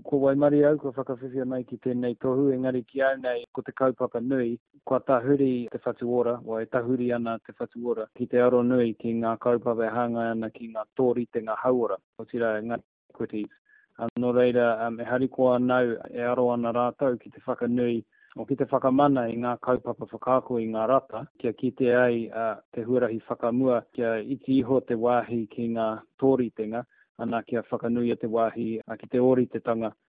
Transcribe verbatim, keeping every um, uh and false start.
Ko waimarie au kua whakawhiwhia mai ki tēnei tohu, engari ki au nei ko te kaupapa nui, kua tahuri Te Whatu Ora, e tahuri ana Te Whatu Ora ki te aro nui ki ngā kaupapa e hāngai ana ki ngā tōritenga hauora, otirā ngā equities. Nō reira, e harikoa ana au e aro ana rātou ki te whakanui, o ki te whakamana i ngā kaupapa whakaako i ngā rata, kia kite ai te huarahi whakamua, kia iti iho te wāhi ki ngā tōritenga, ana kia whakanuia te wāhi ki te ōritetanga.